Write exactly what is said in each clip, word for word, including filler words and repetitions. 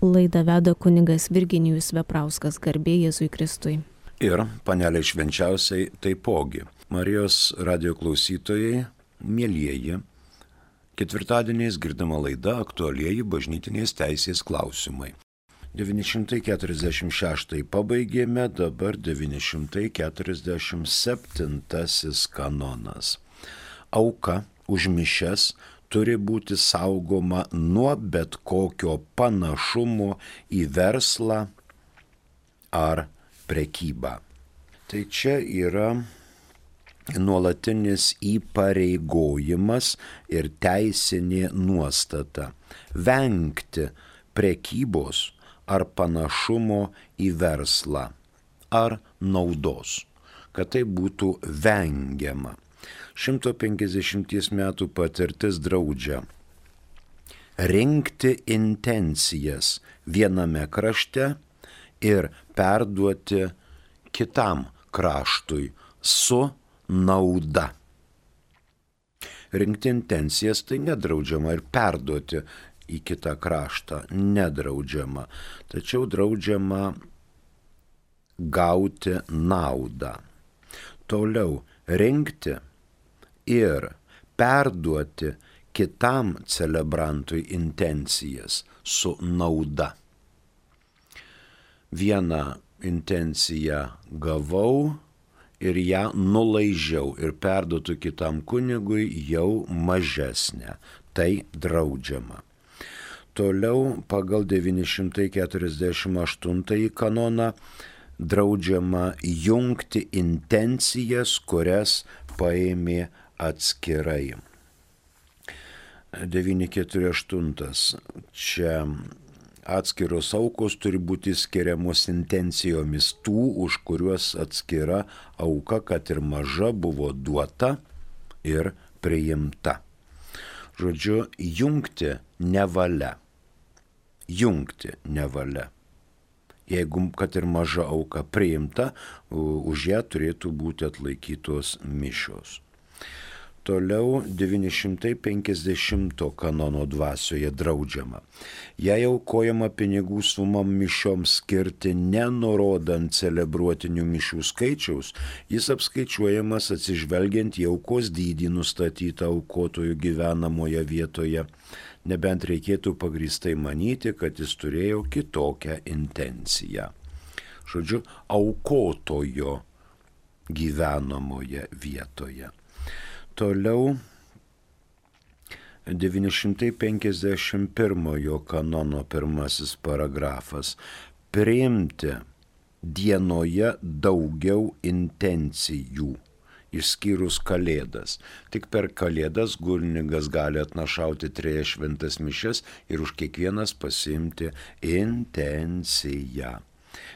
Laidą veda kunigas Virginijus Veprauskas, garbė Jėzui Kristui. Ir panelė švenčiausiai taipogi. Marijos radio klausytojai, mielieji, ketvirtadieniais girdama laida aktualieji bažnytinės teisės klausimai. devyni šimtai keturiasdešimt šeštąjį pabaigėme, dabar devyni šimtai keturiasdešimt septintasis kanonas. Auka už mišias turi būti saugoma nuo bet kokio panašumo į verslą ar prekybą. Tai čia yra nuolatinis įpareigojimas ir teisinė nuostata vengti prekybos ar panašumo į verslą ar naudos, kad tai būtų vengiama. šimto penkiasdešimties metų patirtis draudžia rinkti intencijas viename krašte ir perduoti kitam kraštui su nauda. Rinkti intencijas tai nedraudžiama ir perduoti į kitą kraštą nedraudžiama, tačiau draudžiama gauti naudą. Toliau rinkti ir perduoti kitam celebrantui intencijas su nauda. Vieną intenciją gavau ir ją nulaižiau ir perduotų kitam kunigui jau mažesnę. Tai draudžiama. Toliau pagal devyni šimtai keturiasdešimt aštuntąjį kanoną draudžiama jungti intencijas, kurias paėmė atskirai. devyni keturi aštuntas. Čia atskiros aukos turi būti skiriamos intencijomis tų, už kuriuos atskira auka, kad ir maža, buvo duota ir priimta. Žodžiu, jungti nevalia. Jungti nevalia. Jeigu, kad ir maža auka priimta, už ją turėtų būti atlaikytos mišios. Toliau devyni šimtai penkiasdešimto kanono dvasioje draudžiama. Jei aukojama pinigų sumą mišioms skirti nenurodant celebruotinių mišių skaičiaus, jis apskaičiuojamas atsižvelgiant į aukos dydį nustatytą aukotojų gyvenamoje vietoje, nebent reikėtų pagrįstai manyti, kad jis turėjo kitokią intenciją. Žodžiu, aukotojo gyvenamoje vietoje. Toliau devyni šimtai penkiasdešimt pirmojo kanono pirmasis paragrafas. Priimti dienoje daugiau intencijų, išskyrus kalėdas. Tik per kalėdas kunigas gali atnašauti trejas šventas mišias ir už kiekvienas pasiimti intenciją.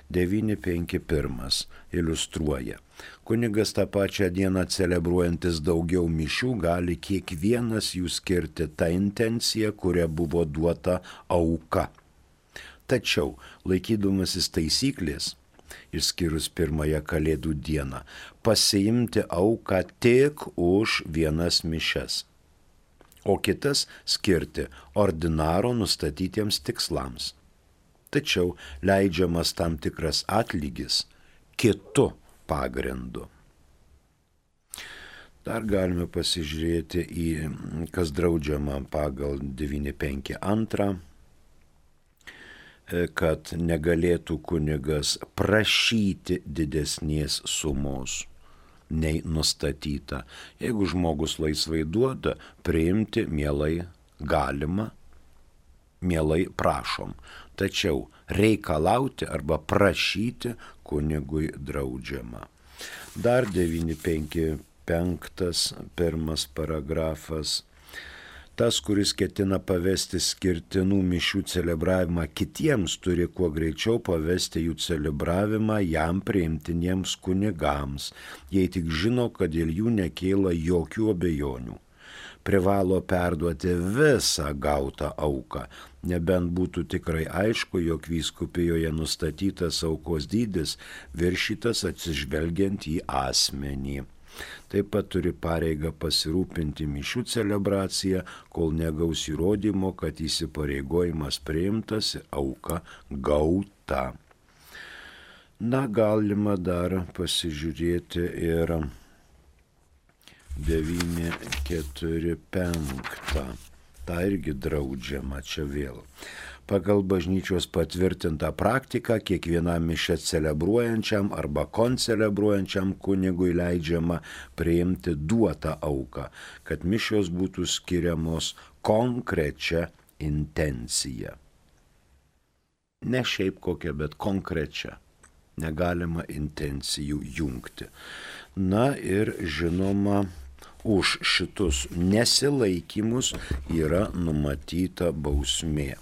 devyni penki pirmas iliustruoja. Kunigas tą pačią dieną celebruojantis daugiau mišių gali kiekvienas jų skirti tą intenciją, kuria buvo duota auka. Tačiau, laikydamasis taisyklės, išskyrus pirmąją kalėdų dieną, pasiimti auką tik už vienas mišias, o kitas skirti ordinaro nustatytiems tikslams. Tačiau leidžiamas tam tikras atlygis kitu pagrindu. Dar galime pasižiūrėti į, kas draudžiama pagal devyni penki antrą, kad negalėtų kunigas prašyti didesnės sumos nei nustatyta. Jeigu žmogus laisvai duoda, priimti mielai galima, mielai prašom. Tačiau reikalauti arba prašyti kunigui draudžiama. Dar devyni penki penktas pirmas paragrafas. Tas, kuris ketina pavesti skirtinų mišių celebravimą kitiems, turi kuo greičiau pavesti jų celebravimą jam priimtiniems kunigams, jei tik žino, kad dėl jų nekyla jokių abejonių. Privalo perduoti visą gautą auką, nebent būtų tikrai aišku, jog vyskupijoje nustatytas aukos dydis viršytas atsižvelgiant į asmenį. Taip pat turi pareigą pasirūpinti mišių celebraciją, kol negaus įrodymo, kad įsipareigojimas priimtas, auka gauta. Na, galima dar pasižiūrėti ir devyni keturi penki. Ta irgi draudžiama čia vėl. Pagal bažnyčios patvirtintą praktiką kiekvienam mišią celebruojančiam arba koncelebruojančiam kunigui leidžiama priimti duotą auką, kad mišios būtų skiriamos konkrečia intencija. Ne šiaip kokia, bet konkrečia. Negalima intencijų jungti. Na ir žinoma, už šitus nesilaikymus yra numatyta bausmė.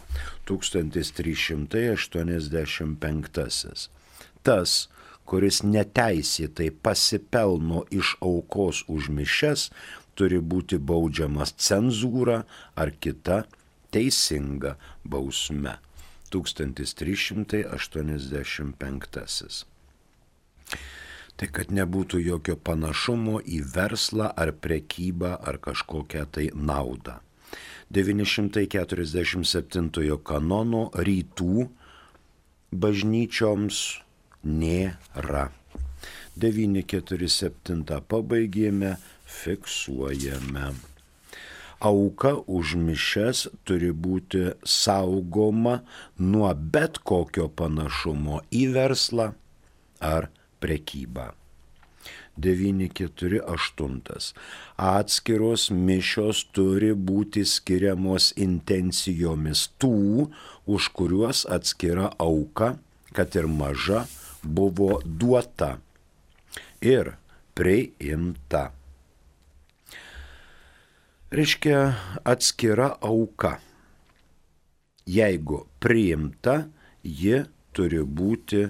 tūkstantis trys šimtai aštuoniasdešimt penktasis. Tas, kuris neteisėtai pasipelno iš aukos už mišias, turi būti baudžiamas cenzūra ar kita teisinga bausme. tūkstantis trys šimtai aštuoniasdešimt penktasis. Tai kad nebūtų jokio panašumo į verslą ar prekybą ar kažkokią tai naudą. devyni šimtai keturiasdešimt septintojo kanono rytų bažnyčioms nėra. devyni keturi septyni pabaigėme, fiksuojame. Auka už mišias turi būti saugoma nuo bet kokio panašumo į verslą ar prekybą. devyni keturi aštuoni. Atskiros mišios turi būti skiriamos intencijomis tų, už kuriuos atskira auka, kad ir maža, buvo duota ir priimta. Reiškia atskira auka. Jeigu priimta, ji turi būti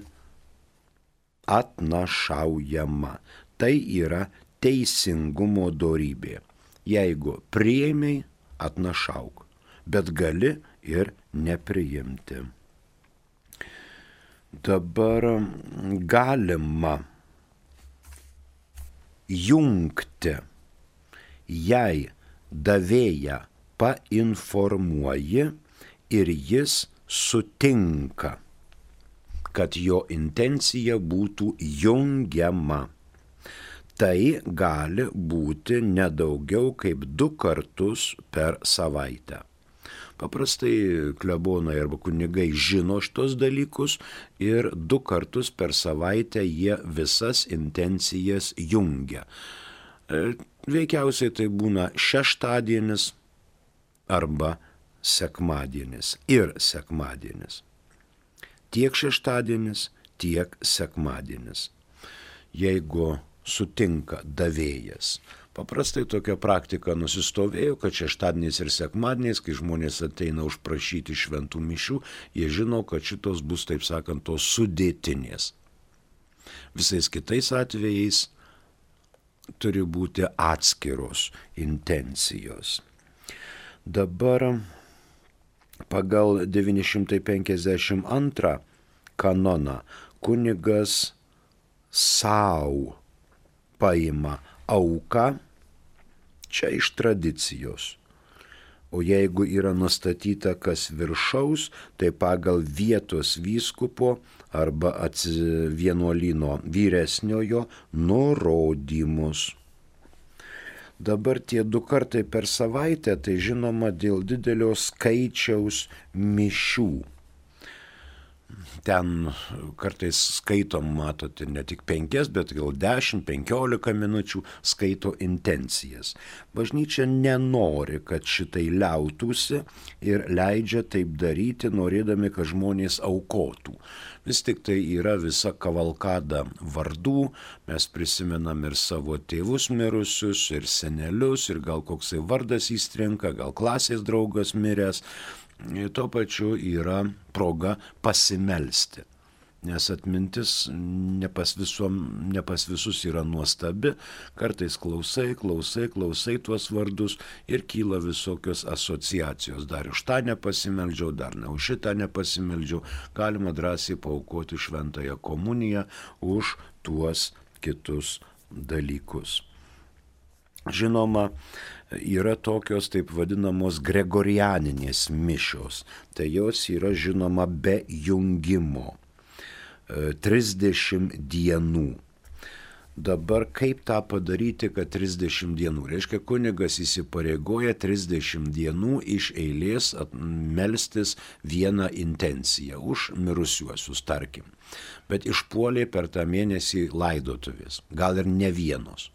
atnašaujama. Tai yra teisingumo dorybė. Jeigu priėmei, atnašauk, bet gali ir nepriimti. Dabar galima jungti, jei davėją painformuoji ir jis sutinka, kad jo intencija būtų jungiama. Tai gali būti nedaugiau kaip du kartus per savaitę. Paprastai klebonai arba kunigai žino šitos dalykus ir du kartus per savaitę jie visas intencijas jungia. Veikiausiai tai būna šeštadienis arba sekmadienis ir sekmadienis. Tiek šeštadienis, tiek sekmadienis. Jeigu sutinka davėjas. Paprastai tokia praktika nusistovėjo, kad šeštadieniais ir sekmadieniais, kai žmonės ateina užprašyti šventų mišių, jie žino, kad šitos bus, taip sakant, tos sudėtinės. Visais kitais atvejais turi būti atskiros intencijos. Dabar pagal devyni šimtai penkiasdešimt antrą kanoną kunigas sau paima auką, čia iš tradicijos. O jeigu yra nustatyta kas viršaus, tai pagal vietos vyskupo arba vienuolyno vyresniojo nurodymus. Dabar tie du kartai per savaitę, tai žinoma dėl didelio skaičiaus mišių. Ten kartais skaitom, matote, ne tik penkias, bet gal dešimt, penkiolika minučių skaito intencijas. Bažnyčia nenori, kad šitai liautųsi ir leidžia taip daryti, norėdami, kad žmonės aukotų. Vis tik tai yra visa kavalkada vardų, mes prisimenam ir savo tėvus mirusius, ir senelius, ir gal koksai vardas įstrinka, gal klasės draugas miręs. Tuo pačiu yra proga pasimelsti, nes atmintis ne pas, visom, ne pas visus yra nuostabi, kartais klausai, klausai, klausai tuos vardus ir kyla visokios asociacijos. Dar už tą nepasimeldžiau, dar ne už šitą nepasimeldžiau, galima drąsiai paaukoti šventąją komuniją už tuos kitus dalykus. žinoma, yra tokios taip vadinamos gregorianinės mišios. Tai jos yra žinoma be jungimo. trisdešimt dienų. Dabar kaip tą padaryti, kad trisdešimt dienų? Reiškia, kunigas įsipareigoja trisdešimt dienų iš eilės melstis vieną intenciją už mirusiuosius, tarkim. Bet išpuolė per tą mėnesį laidotuvės, gal ir ne vienos.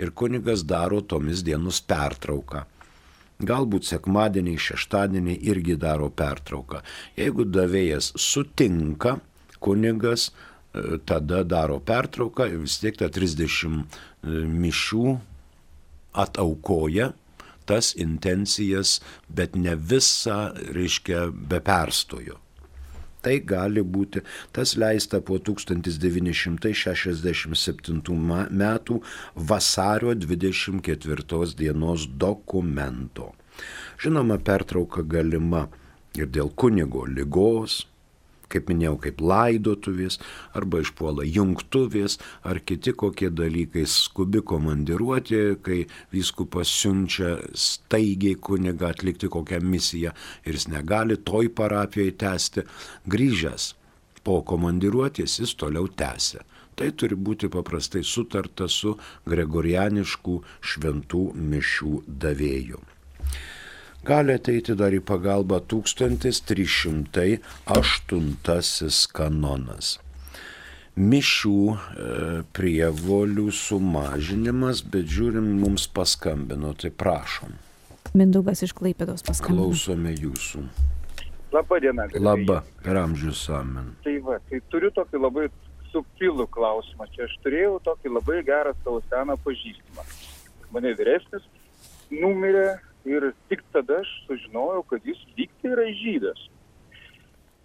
Ir kunigas daro tomis dienos pertrauką. Galbūt sekmadieniai, šeštadieniai irgi daro pertrauką. Jeigu davėjas sutinka, kunigas tada daro pertrauką ir vis tiek tą trisdešimt mišių ataukoja tas intencijas, bet ne visą, reiškia, be perstojo. Tai gali būti, tas leista po tūkstantis devyni šimtai šešiasdešimt septintų metų vasario dvidešimt ketvirtos dienos dokumento. Žinoma, pertrauka galima ir dėl kunigo ligos, kaip minėjau, kaip laidotuvės, arba išpuola jungtuvės, ar kiti kokie dalykai, skubi komandiruotė, kai vyskupas siunčia staigiai kunigą atlikti kokią misiją ir jis negali toj parapijoje tęsti, grįžęs po komandiruotės jis toliau tęsia. Tai turi būti paprastai sutarta su gregorianiškų šventų mišių davėju. Gali ateiti dar į pagalbą tūkstantis trys šimtai aštuntasis kanonas. Mišių e, prievolių sumažinimas, bet žiūrim, mums paskambino, tai prašom. Mindaugas iš Klaipėdos paskambino. Klausome jūsų. Labą dieną. Labą, per amžius amen. Tai va, tai turiu tokį labai subtilų klausimą. Čia aš turėjau tokį labai gerą savo seną pažįstamą. Mane vyresnis, numirė. Ir tik tada aš sužinojau, kad jis lygtai yra žydas.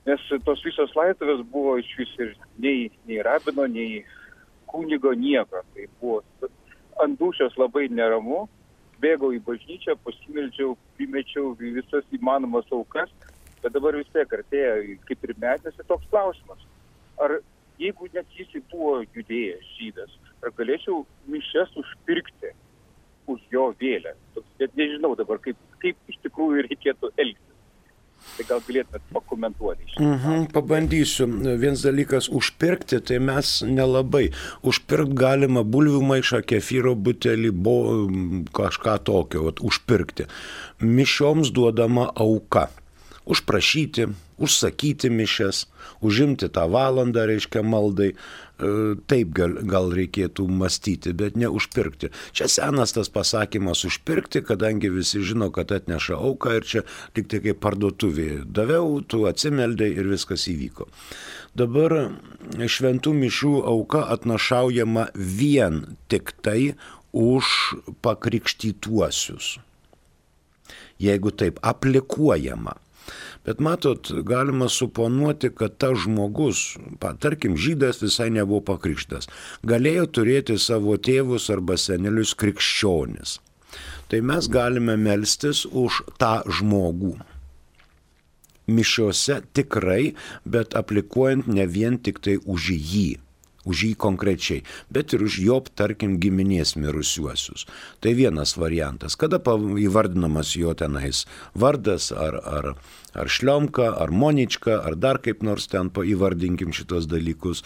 Nes tos visos laidotuvės buvo iš vis ir nei, nei rabino, nei kunigo nieko. Tai buvo ant dūšios labai neramu, bėgau į bažnyčią, pasimeldžiau, primečiau visas įmanomas aukas, bet dabar vis tiek artėja kaip ir metėsi toks klausimas. Ar jeigu net jis buvo judėjas žydas, ar galėčiau mišias užpirkti už jo vėlę? Bet nežinau dabar, kaip, kaip iš tikrųjų reikėtų elgtis. Tai gal galėtumėt pakomentuoti. Mhm, pabandysiu. Vienas dalykas užpirkti, tai mes nelabai. Užpirkti galima bulvių maišą, kefyro butelį, bo, kažką tokio, vat, užpirkti. Mišioms duodama auka. Užprašyti, užsakyti mišias, užimti tą valandą, reiškia, maldai. Taip gal, gal reikėtų mąstyti, bet ne užpirkti. Čia senas tas pasakymas užpirkti, kadangi visi žino, kad atneša auką ir čia tik tai kaip parduotuvė. Daviau, tu atsimeldei ir viskas įvyko. Dabar šventų mišių auka atnašaujama vien tik tai už pakrikštytuosius. Jeigu taip aplikuojama. Bet matot, galima suponuoti, kad tas žmogus, tarkim, žydas visai nebuvo pakrikštas, galėjo turėti savo tėvus arba senelius krikščionis. Tai mes galime melstis už tą žmogų. Mišiose tikrai, bet aplikuojant ne vien tik tai už jį. Už jį konkrečiai, bet ir už jo, tarkim, giminės mirusiuosius. Tai vienas variantas. Kada įvardinamas jo tenais vardas, ar, ar, ar Šliomka, ar Monička, ar dar kaip nors ten įvardinkim šitos dalykus,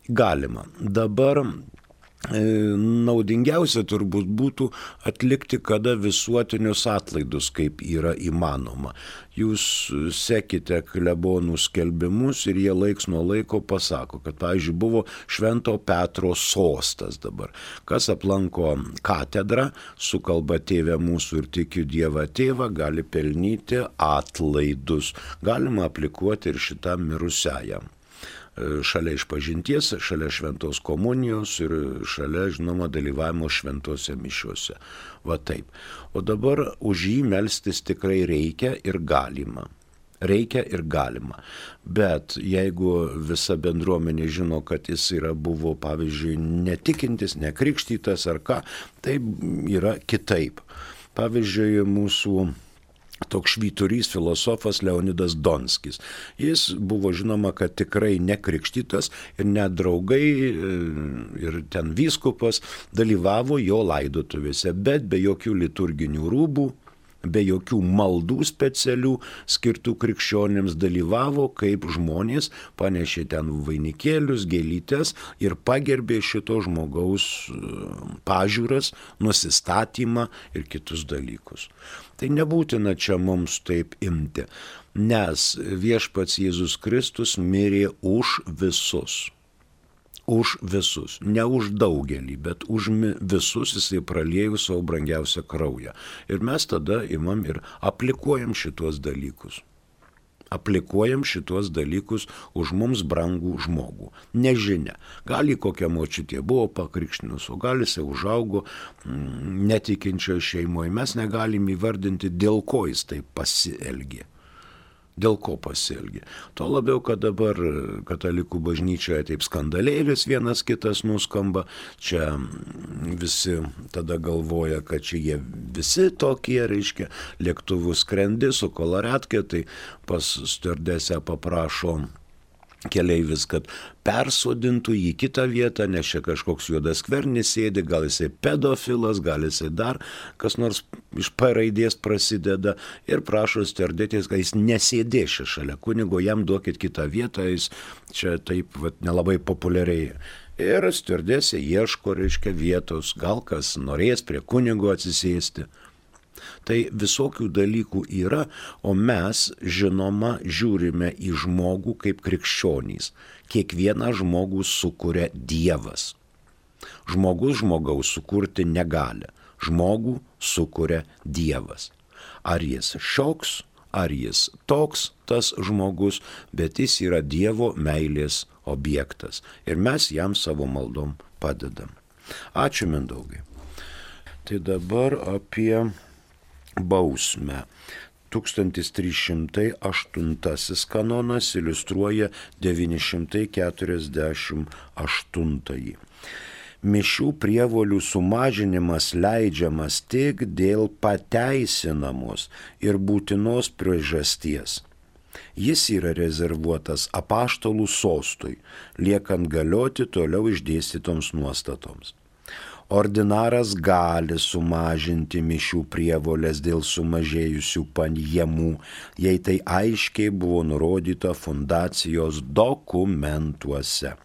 galima. Dabar naudingiausia turbūt būtų atlikti kada visuotinius atlaidus, kaip yra įmanoma. Jūs sekite klebonų skelbimus ir jie laiks nuo laiko pasako, kad, pavyzdžiui, buvo Švento Petro sostas dabar. Kas aplanko katedrą, sukalba Tėve mūsų ir tikiu Dievą Tėvą, gali pelnyti atlaidus. Galima aplikuoti ir šitam mirusiajam. Šalia išpažinties, šalia šventos komunijos ir šalia, žinoma, dalyvavimo šventose mišiuose. Va taip. O dabar už jį melstis tikrai reikia ir galima. Reikia ir galima. Bet jeigu visa bendruomenė žino, kad jis yra buvo, pavyzdžiui, netikintis, nekrikštytas ar ką, tai yra kitaip. Pavyzdžiui, mūsų toks švyturys filosofas Leonidas Donskis. Jis buvo žinoma, kad tikrai nekrikštytas ir net draugai ir ten vyskupas dalyvavo jo laidotuvėse, bet be jokių liturginių rūbų, be jokių maldų specialių skirtų krikščionims dalyvavo, kaip žmonės panešė ten vainikėlius, gėlytes ir pagerbė šito žmogaus pažiūras, nusistatymą ir kitus dalykus. Tai nebūtina čia mums taip imti, nes viešpats Jėzus Kristus mirė už visus. Už visus, ne už daugelį, bet už visus jisai praliejų savo brangiausią kraują. Ir mes tada imam ir aplikuojam šitos dalykus. Aplikuojam šitos dalykus už mums brangų žmogų. Nežinia, gal į kokią močiutė buvo pakrikštinus, o gal jisai užaugo netikinčioje šeimoje. Mes negalim įvardinti, dėl ko jis taip pasielgė. Dėl ko pasielgė. Tuo labiau, kad dabar katalikų bažnyčioje taip skandalėlis vienas kitas nuskamba, čia visi tada galvoja, kad čia jie visi tokie, reiškia, lėktuvų skrendi su koloretkė, tai pas stiuardesę paprašo keleivis, kad persodintų į kitą vietą, nes čia kažkoks juodas skvernis sėdi, gal jisai pedofilas, gal jisai dar kas nors iš P raidės prasideda ir prašo stiuardetės, kad jis nesėdės čia šalia kunigo, jam duokit kitą vietą, jis čia taip vat, nelabai populiariai. Ir stiuardesė ieško, reiškia, vietos, gal kas norės prie kunigo atsisėsti. Tai visokių dalykų yra, o mes, žinoma, žiūrime į žmogų kaip krikščionys. Kiekvieną žmogų sukuria Dievas. Žmogus žmogaus sukurti negali. Žmogų sukuria Dievas. Ar jis šioks, ar jis toks, tas žmogus, bet jis yra Dievo meilės objektas. Ir mes jam savo maldom padedam. Ačiū, Mindaugai. Tai dabar apie bausmę. tūkstantis trys šimtai aštuntasis kanonas iliustruoja devyni šimtai keturiasdešimt aštuntąjį. Mišių prievolių sumažinimas leidžiamas tik dėl pateisinamos ir būtinos priežasties. Jis yra rezervuotas apaštalų sostui, liekant galioti toliau išdėstytoms nuostatoms. Ordinaras gali sumažinti mišių prievolės dėl sumažėjusių pajamų, jei tai aiškiai buvo nurodyta fundacijos dokumentuose.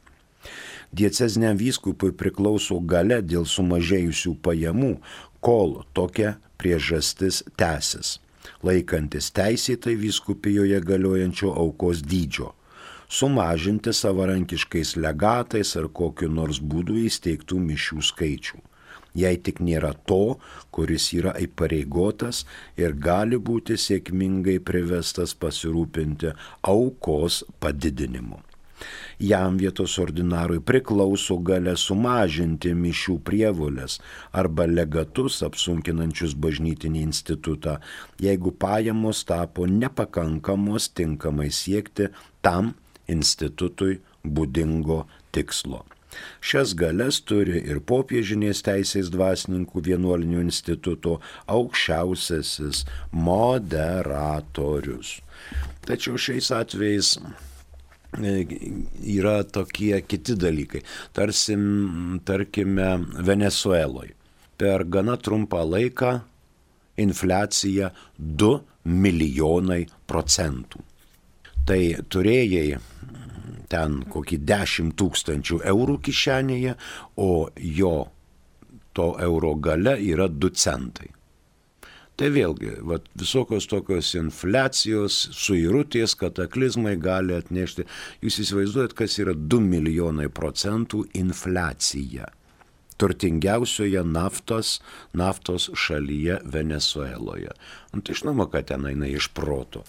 Dieceziniam vyskupui priklauso galia dėl sumažėjusių pajamų, kol tokia priežastis tęsis, laikantis teisėtai vyskupijoje galiojančio aukos dydžio. Sumažinti savarankiškais legatais ar kokiu nors būdu įsteigtų mišių skaičių. Jei tik nėra to, kuris yra įpareigotas ir gali būti sėkmingai privestas pasirūpinti aukos padidinimu. Jam vietos ordinarui priklauso galia sumažinti mišių prievolės arba legatus apsunkinančius bažnytinį institutą, jeigu pajamos tapo nepakankamos tinkamai siekti tam institutui būdingo tikslo. Šias galias turi ir popiežinės teisės dvasininkų vienuolinių instituto aukščiausiasis moderatorius. Tačiau šiais atvejais yra tokie kiti dalykai. Tarsi, tarkime, Venesueloje. Per gana trumpą laiką infliacija du milijonai procentų. Tai turėjai ten kokį dešimt tūkstančių eurų kišenėje, o jo to euro galia yra du centai. Tai vėlgi, vat, visokios tokios infliacijos, suirutės, kataklizmai gali atnešti. Jūs įsivaizduojat, kas yra du milijonai procentų infliacija turtingiausioje naftos, naftos šalyje Venesueloje. Nu, tai žinoma, kad ten eina iš proto.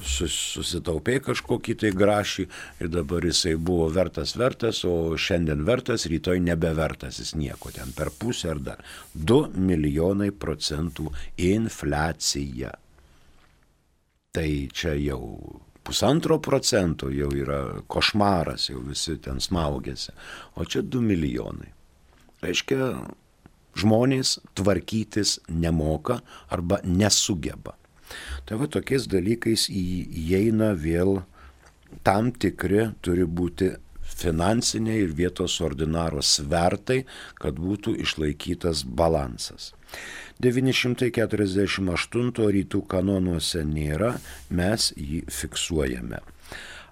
Susitaupė kažkokį tai grašį ir dabar jisai buvo vertas vertas, o šiandien vertas, rytoj nebevertas jis nieko, ten per pusę ar dar. du milijonai procentų infliacija. Tai čia jau pusantro procento jau yra košmaras, jau visi ten smaugėsi, o čia du milijonai. Reiškia, žmonės tvarkytis nemoka arba nesugeba. Tai va tokiais dalykais įeina vėl tam tikri turi būti finansiniai ir vietos ordinaro svertai, kad būtų išlaikytas balansas. devyni šimtai keturiasdešimt aštunto rytų kanonuose nėra, mes jį fiksuojame.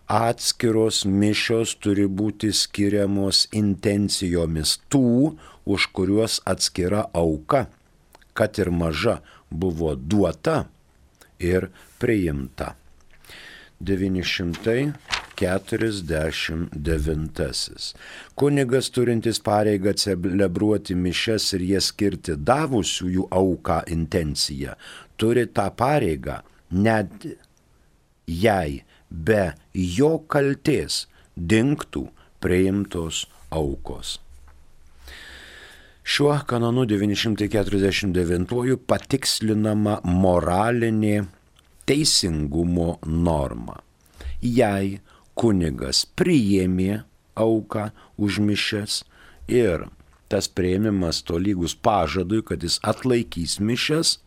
Atskiros mišios turi būti skiriamos intencijomis tų, už kuriuos atskira auka, kad ir maža, buvo duota ir priimta. devyni šimtai keturiasdešimt devintasis. Kunigas turintis pareigą celebruoti mišias ir jas skirti davusiųjų auką intenciją, turi tą pareigą net jei be jo kaltės dingtų priimtos aukos. Šiuo kanonu devyni šimtai keturiasdešimt devintuoju patikslinama moralinė teisingumo norma. Jei kunigas priėmė auką už mišias ir tas priėmimas tolygus pažadui, kad jis atlaikys mišias,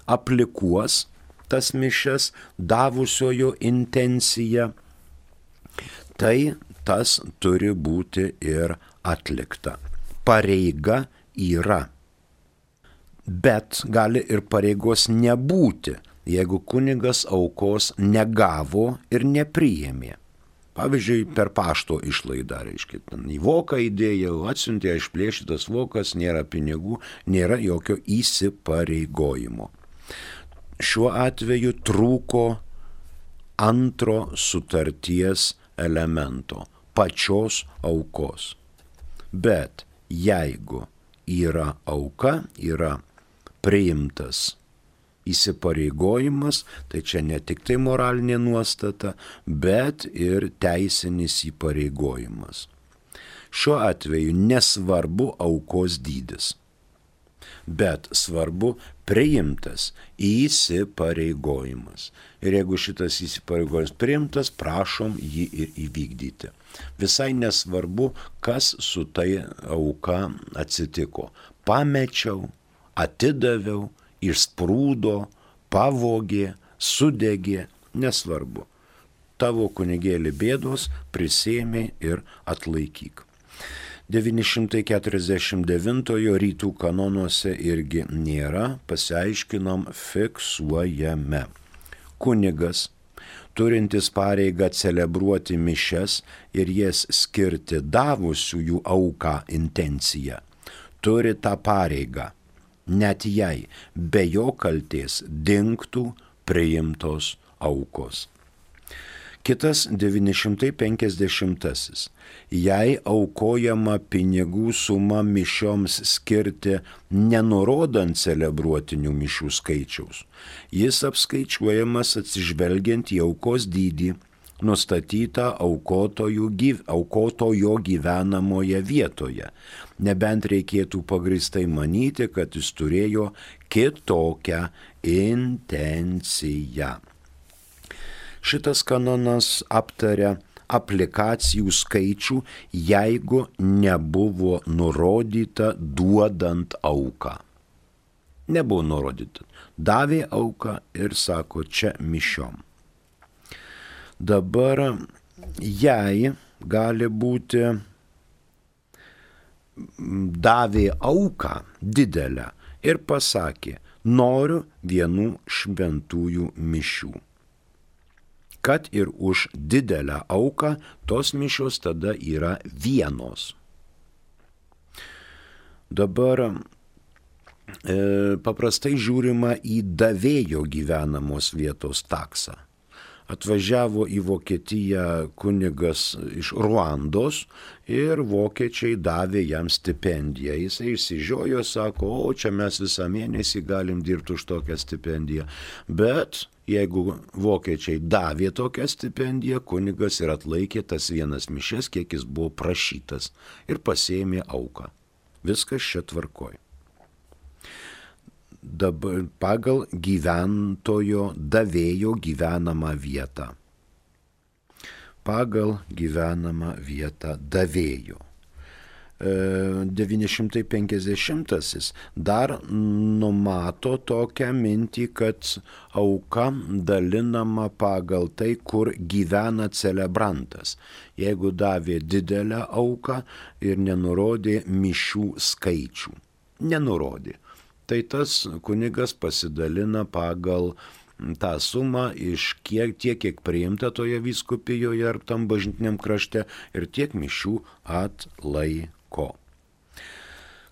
aplikuos tas mišias davusiojo intenciją, tai tas turi būti ir atlikta. Pareiga yra, bet gali ir pareigos nebūti, jeigu kunigas aukos negavo ir nepriėmė. Pavyzdžiui, per pašto išlaidą, reiškia, į voką įdėjau, atsiuntė išplėšytas vokas, nėra pinigų, nėra jokio įsipareigojimo. Šiuo atveju trūko antro sutarties elemento – pačios aukos. Bet jeigu yra auka, yra priimtas įsipareigojimas, tai čia ne tik tai moralinė nuostata, bet ir teisinis įpareigojimas. Šiuo atveju nesvarbu aukos dydis, bet svarbu priimtas įsipareigojimas. Ir jeigu šitas įsipareigojimas priimtas, prašom jį ir įvykdyti. Visai nesvarbu, kas su tai auka atsitiko. Pamečiau, atidaviau, išsprūdo, pavogė, sudegė, nesvarbu. Tavo kunigėli bėdos prisėmė ir atlaikyk. devyni šimtai keturiasdešimt devintojo rytų kanonuose irgi nėra, pasiaiškinom, fiksuojame. Kunigas, turintis pareigą celebruoti mišias ir jas skirti davusiųjų auką intenciją, turi tą pareigą, net jei be jo kaltės dingtų priimtos aukos. Kitas devyni šimtai penkiasdešimtasis. Jei aukojama pinigų suma mišioms skirti nenurodant celebruotinių mišių skaičiaus, jis apskaičiuojamas atsižvelgiant į aukos dydį, nustatytą aukotojo, gyv, aukotojo gyvenamoje vietoje, nebent reikėtų pagrįstai manyti, kad jis turėjo kitokią intenciją. Šitas kanonas aptaria aplikacijų skaičių, jeigu nebuvo nurodyta duodant auką. Nebuvo nurodyta. Davė auką ir sako, čia mišiom. Dabar jei gali būti davė auką didelę ir pasakė, noriu vienų šventųjų mišių. Kad ir už didelę auką tos mišios tada yra vienos. Dabar e, paprastai žiūrima į davėjo gyvenamos vietos taksą. Atvažiavo į Vokietiją kunigas iš Ruandos ir vokiečiai davė jam stipendiją. Jis išsižiojo, sako, o čia mes visą mėnesį galim dirbti už tokią stipendiją. Bet jeigu vokiečiai davė tokią stipendiją, kunigas ir atlaikė tas vienas mišias, kiek jis buvo prašytas ir pasiėmė auką. Viskas čia tvarkoj. Dabar pagal gyventojo davėjo gyvenamą vietą. Pagal gyvenamą vietą davėjo. devyni šimtai penkiasdešimtasis dar numato tokią mintį, kad auka dalinama pagal tai, kur gyvena celebrantas. Jeigu davė didelę auką ir nenurodė mišių skaičių. Nenurodė. Tai tas kunigas pasidalina pagal tą sumą iš kiek, tiek, kiek priimta toje vyskupijoje ar tam bažnytiniam krašte ir tiek mišių atlaiko.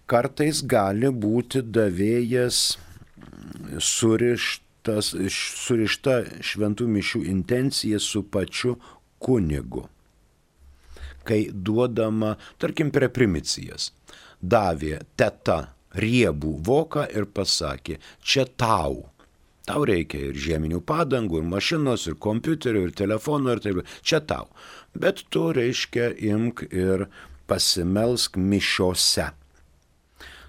Kartais gali būti davėjas surištas, surišta šventų mišių intencija su pačiu kunigu. Kai duodama, tarkim, prie primicijas, davė teta riebų voką ir pasakė, čia tau. Tau reikia ir žieminių padangų, ir mašinos, ir kompiuterių, ir telefonų, ir taip. Čia tau. Bet tu, reiškia, imk ir pasimelsk mišiose.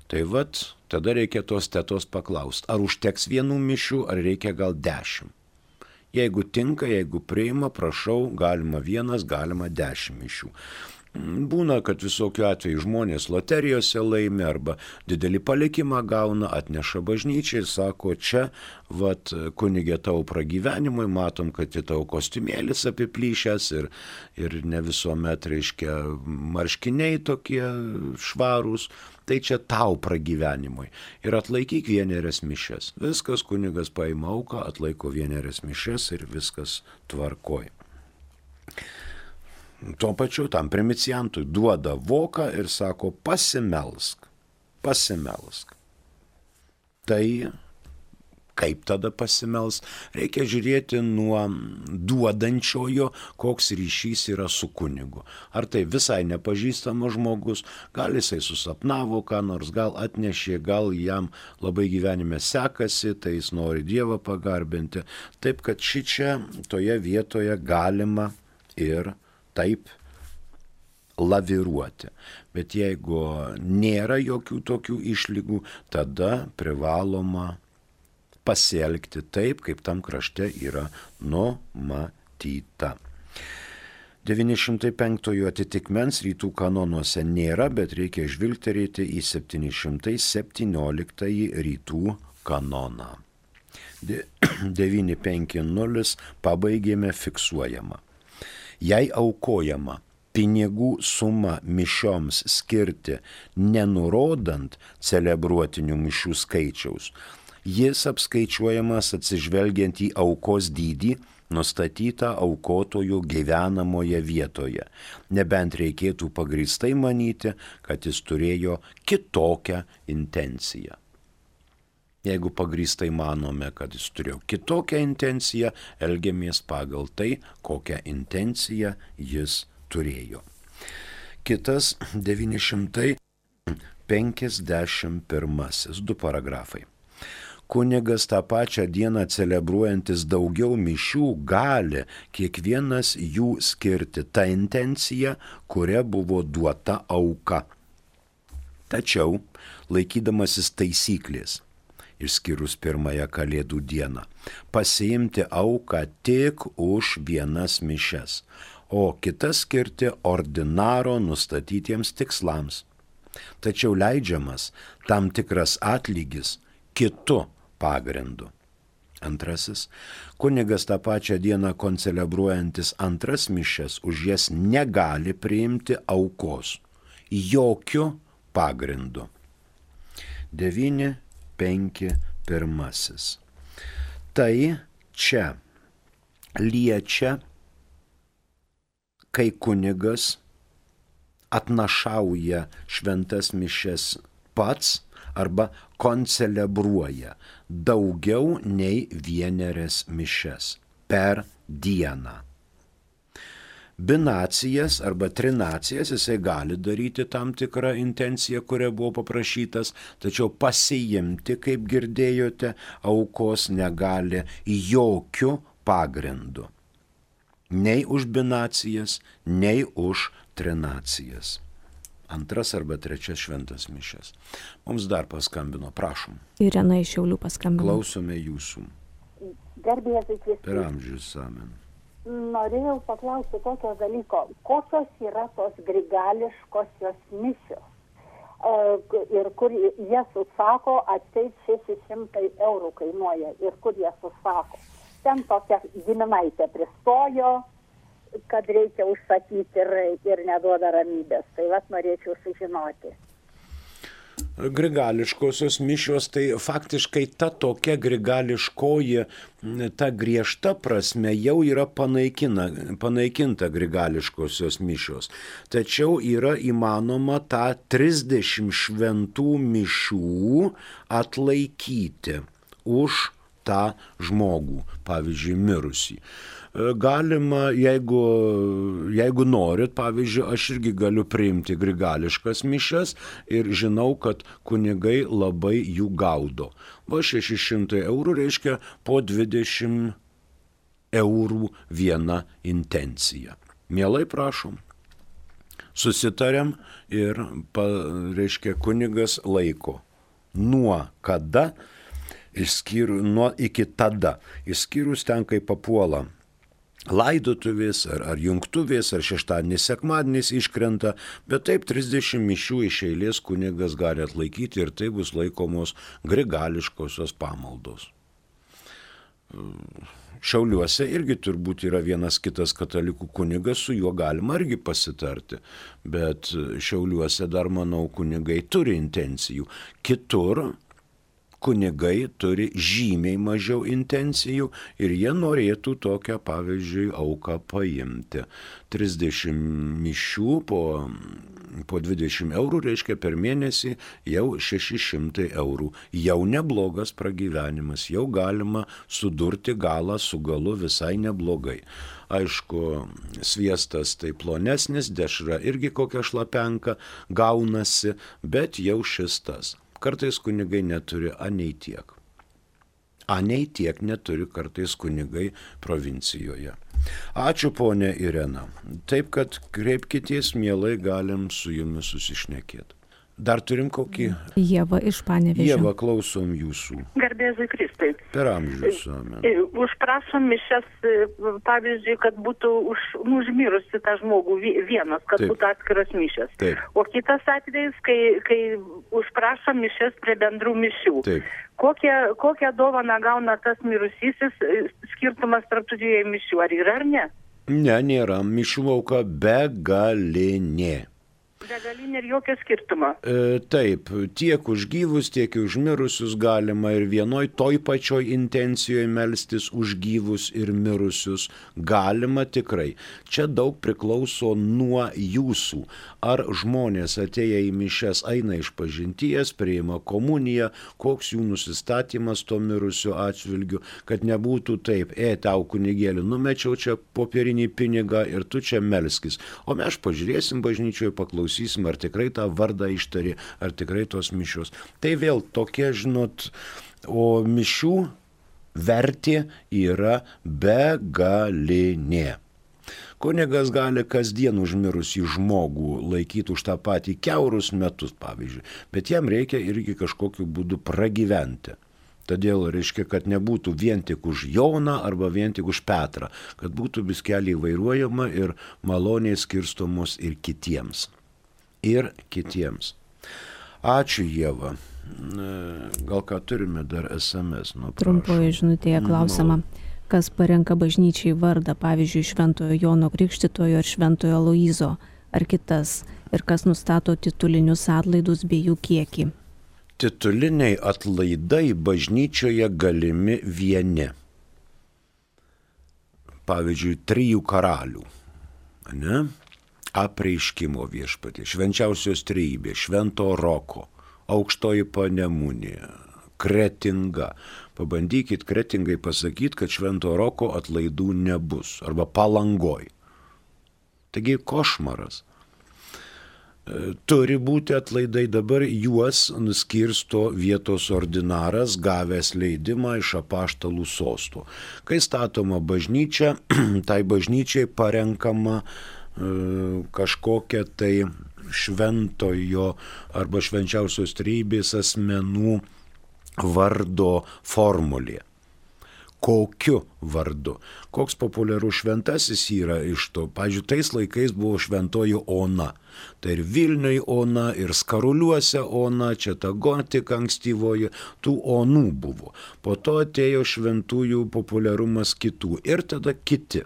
Tai vat, tada reikia tos tetos paklausti, ar užteks vienų mišių, ar reikia gal dešimt. Jeigu tinka, jeigu priima, prašau, galima vienas, galima dešimt mišių. Būna, kad visokių atveju žmonės loterijose laimi arba didelį palikimą gauna, atneša bažnyčiai ir sako, čia, vat, kunigė tau pragyvenimui, matom, kad į tavo kostiumėlis apiplyšęs ir, ir ne visuomet, reiškia, marškiniai tokie švarūs, tai čia tau pragyvenimui. Ir atlaikyk vienerias mišias. Viskas, kunigas paima auką, atlaiko vienerias mišias ir viskas tvarkoj. Tuo pačiu tam primiciantui duoda voką ir sako pasimelsk, pasimelsk. Tai kaip tada pasimelsk? Reikia žiūrėti nuo duodančiojo, koks ryšys yra su kunigu. Ar tai visai nepažįstamas žmogus, gal jisai susapnavo ką nors, gal atnešė, gal jam labai gyvenime sekasi, tai jis nori Dievą pagarbinti. Taip, kad šičia toje vietoje galima ir taip laviruoti. Bet jeigu nėra jokių tokių išlygų, tada privaloma pasielgti taip, kaip tam krašte yra numatyta. devyni šimtai penktojo atitikmens rytų kanonuose nėra, bet reikia žvilgterėti į septyni šimtai septynioliktąjį rytų kanoną. devyni penki nulis pabaigėme fiksuojama. Jei aukojama pinigų sumą mišioms skirti, nenurodant celebruotinių mišių skaičiaus, jis apskaičiuojamas atsižvelgiant į aukos dydį, nustatytą aukotojų gyvenamoje vietoje, nebent reikėtų pagrįstai manyti, kad jis turėjo kitokią intenciją. Jeigu pagrįstai manome, kad jis turėjo kitokią intenciją, elgiamės pagal tai, kokią intenciją jis turėjo. Kitas devyni šimtai penkiasdešimt pirmasis, du paragrafai. Kunigas tą pačią dieną celebruojantis daugiau mišių gali kiekvienas jų skirti tą intenciją, kuria buvo duota auka. Tačiau, laikydamasis taisyklės, išskyrus pirmąją Kalėdų dieną, pasiimti auką tik už vienas mišias, o kitas skirti ordinaro nustatytiems tikslams. Tačiau leidžiamas tam tikras atlygis kitu pagrindu. Antrasis, kunigas tą pačią dieną koncelebruojantis antras mišias už jas negali priimti aukos jokiu pagrindu. devyni penki pirmasis. Tai čia liečia, kai kunigas atnašauja šventas mišias pats arba koncelebruoja daugiau nei vienerias mišias per dieną. Binacijas arba trinacijas jisai gali daryti tam tikrą intenciją, kuria buvo paprašytas, tačiau pasiimti, kaip girdėjote, aukos negali jokių pagrindų. Nei už binacijas, nei už trinacijas. Antras arba trečias šventas mišias. Mums dar paskambino, prašom. Irena iš Šiaulių paskambino. Klausome jūsų. Garbėsis Kristus. Per amžius, amen. norėjau paklausti tokio dalyko, kokios yra tos grigališkosios mišios ir kur jas užsako, atseit šeši šimtai eurų kainuoja ir kur jas užsako. Ten tokia giminaitė pristojo, kad reikia užsakyti ir, ir neduoda ramybės. Tai vat norėčiau sužinoti. Grigališkosios mišios, tai faktiškai ta tokia grigališkoji, ta griežta prasme jau yra panaikina, panaikinta grigališkosios mišios. Tačiau yra įmanoma tą trisdešimt šventų mišių atlaikyti už tą žmogų, pavyzdžiui, mirusį. Galima, jeigu, jeigu norit, pavyzdžiui, aš irgi galiu priimti grigališkas mišias ir žinau, kad kunigai labai jų gaudo. Va šeši šimtai eurų reiškia po dvidešimt eurų viena intencija. Mielai prašom. Susitariam ir, pa, reiškia, kunigas laiko. Nuo kada, išskyrus, nuo iki tada, išskyrus ten, kai papuola laidotuvės ar, ar jungtuvės, ar šeštadienis, sekmadienis iškrenta, bet taip trisdešimt mišių iš eilės kunigas gali atlaikyti ir tai bus laikomos grigališkosios pamaldos. Šiauliuose irgi turbūt yra vienas kitas katalikų kunigas, su juo galima irgi pasitarti, bet Šiauliuose dar, manau, kunigai turi intencijų. Kitur kunigai turi žymiai mažiau intencijų ir jie norėtų tokią, pavyzdžiui, auką paimti. trisdešimt mišių po, po dvidešimt eurų reiškia per mėnesį jau šeši šimtai eurų. Jau neblogas pragyvenimas, jau galima sudurti galą su galu visai neblogai. Aišku, sviestas tai plonesnis, dešra irgi kokia šlapenka gaunasi, bet jau šis tas. Kartais kunigai neturi anei tiek. Anei tiek neturi kartais kunigai provincijoje. Ačiū, ponė Irena. Taip, kad kreipkitės, mielai galim su jumis susišnekėti. Dar turim kokį? Ieva iš Panevėžio. Ieva, klausom jūsų. Garbėzui Kristui. Per amžius. Amen. Užprašom mišias, pavyzdžiui, kad būtų už, užmirusi tą žmogų vienas, kad Taip. būtų atskiros mišias. Taip. O kitas atvejis, kai, kai užprašom mišias prie bendrų mišių. Taip. Kokią, kokią dovaną gauna tas mirusysis, skirtumas tarp tų dviejų mišių, ar yra ar ne? Ne, nėra. Mišių auka begalinė. Begalinė ir jokio skirtumo. E, taip, tiek už gyvus, tiek už mirusius galima ir vienoj toj pačioj intencijoje melstis už gyvus ir mirusius galima tikrai. Čia daug priklauso nuo jūsų. Ar žmonės atėję į mišias eina iš pažinties, priima komuniją, koks jų nusistatymas to mirusio atžvilgiu, kad nebūtų taip, e, tau kunigėlį numečiau čia popierinį pinigą ir tu čia melskis. O mes pažiūrėsim bažnyčioje, paklausysim, ar tikrai tą vardą ištari, ar tikrai tos mišios. Tai vėl tokie, žinot, o mišių vertė yra begalinė. Kunigas gali kasdien užmirusį žmogų laikyti už tą patį kiaurus metus, pavyzdžiui, bet jam reikia irgi kažkokiu būdu pragyventi. Todėl reiškia, kad nebūtų vien tik už Joną arba vien tik už Petrą, kad būtų biskeliai vairuojama ir maloniai skirstomos ir kitiems. Ir kitiems. Ačiū, Ieva. Gal ką turime dar es em es? Nu, trumpoje žinutėje klausama, kas parenka bažnyčiai vardą, pavyzdžiui, Šventojo Jono Krikštytojo ar Šventojo Aloyzo, ar kitas, ir kas nustato titulinius atlaidus bei jų kiekį. Tituliniai atlaidai bažnyčioje galimi vieni. Pavyzdžiui, trijų karalių. Ne? Apreiškimo viešpatė, švenčiausios trejybės, Švento Roko, aukštoji Panemunė, Kretinga. Pabandykit Kretingai pasakyti, kad Švento Roko atlaidų nebus, arba Palangoj. Taigi košmaras. Turi būti atlaidai, dabar juos nuskirsto vietos ordinaras, gavęs leidimą iš apaštalų sosto. Kai statoma bažnyčia, tai bažnyčiai parenkama kažkokia tai šventojo arba švenčiausios trejybės asmenų vardo formulė, kokiu vardu. Koks populiarus šventasis yra iš to. Pavyzdžiui, tais laikais buvo šventoji Ona. Tai ir Vilniui Ona, ir Skaruliuose Ona, čia ta gotika ankstyvoji, tų Onų buvo. Po to atėjo šventųjų populiarumas kitų ir tada kiti.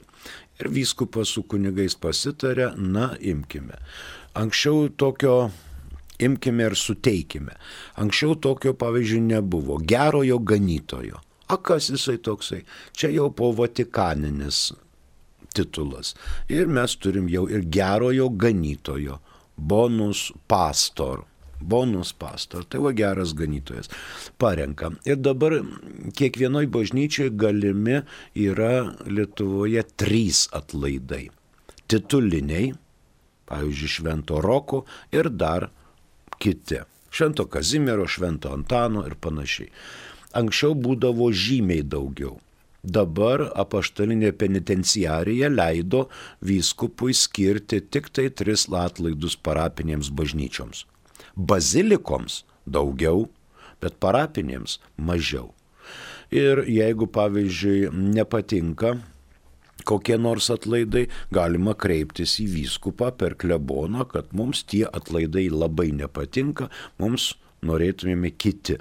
Ir vyskupas su kunigais pasitarė, na, imkime. Anksčiau tokio imkime ir suteikime. Anksčiau tokio, pavyzdžiui, nebuvo. Gerojo ganytojo. A kas jisai toksai? Čia jau po vatikaninis titulas. Ir mes turim jau ir gerojo ganytojo. Bonus pastor. Bonus pastor. Tai va geras ganytojas. Parenkam. Ir dabar kiekvienoj bažnyčiai galimi yra Lietuvoje trys atlaidai. Tituliniai, pavyzdžiui, Švento Roko ir dar kiti. Švento Kazimiero, Švento Antano ir panašiai. Anksčiau būdavo žymiai daugiau. Dabar apaštalinė penitenciarija leido vyskupui skirti tik tai tris atlaidus parapinėms bažnyčioms. Bazilikoms daugiau, bet parapinėms mažiau. Ir jeigu, pavyzdžiui, nepatinka kokie nors atlaidai, galima kreiptis į vyskupą per kleboną, kad mums tie atlaidai labai nepatinka, mums norėtumėme kiti.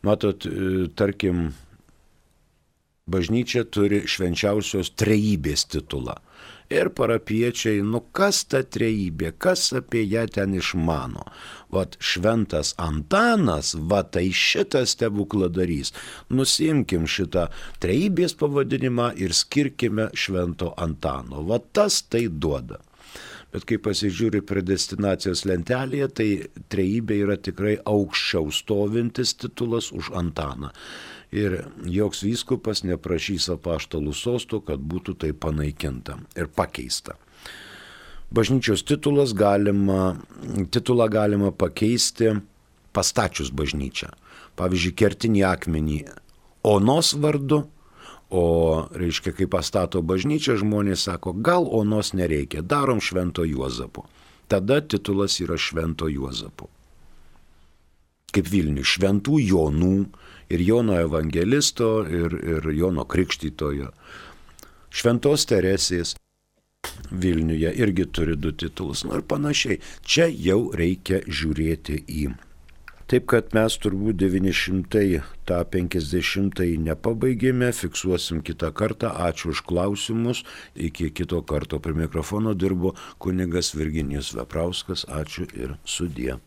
Matot, tarkim, bažnyčia turi švenčiausios trejybės titulą. Ir parapiečiai, nu kas ta trejybė, kas apie ją ten išmano. Vat šventas Antanas, va tai šitas stebukladarys. Nusimkim šitą trejybės pavadinimą ir skirkime Švento Antano. Va tas tai duoda. Bet kai pasižiūri predestinacijos lentelėje, tai trejybė yra tikrai aukščiau stovintis titulas už Antaną. Ir joks vyskupas neprašys apaštalų sosto, kad būtų tai panaikinta ir pakeista. Bažnyčios titulas galima, titulą galima pakeisti pastačius bažnyčią. Pavyzdžiui, kertinį akmenį Onos vardu, o reiškia, kai pastato bažnyčią, žmonės sako, gal Onos nereikia, darom Švento Juozapo. Tada titulas yra Švento Juozapo. Kaip Vilniui, Šventų Jonų ir Jono Evangelisto ir, ir Jono Krikštytojo. Šventos Teresės Vilniuje irgi turi du titulus, nu ir panašiai. Čia jau reikia žiūrėti į. Taip kad mes turbūt devyni šimtai tą penkiasdešimtąjį nepabaigėme, fiksuosim kitą kartą. Ačiū už klausimus. Iki kito karto prie mikrofono dirbo kunigas Virginijus Veprauskas. Ačiū ir sudie.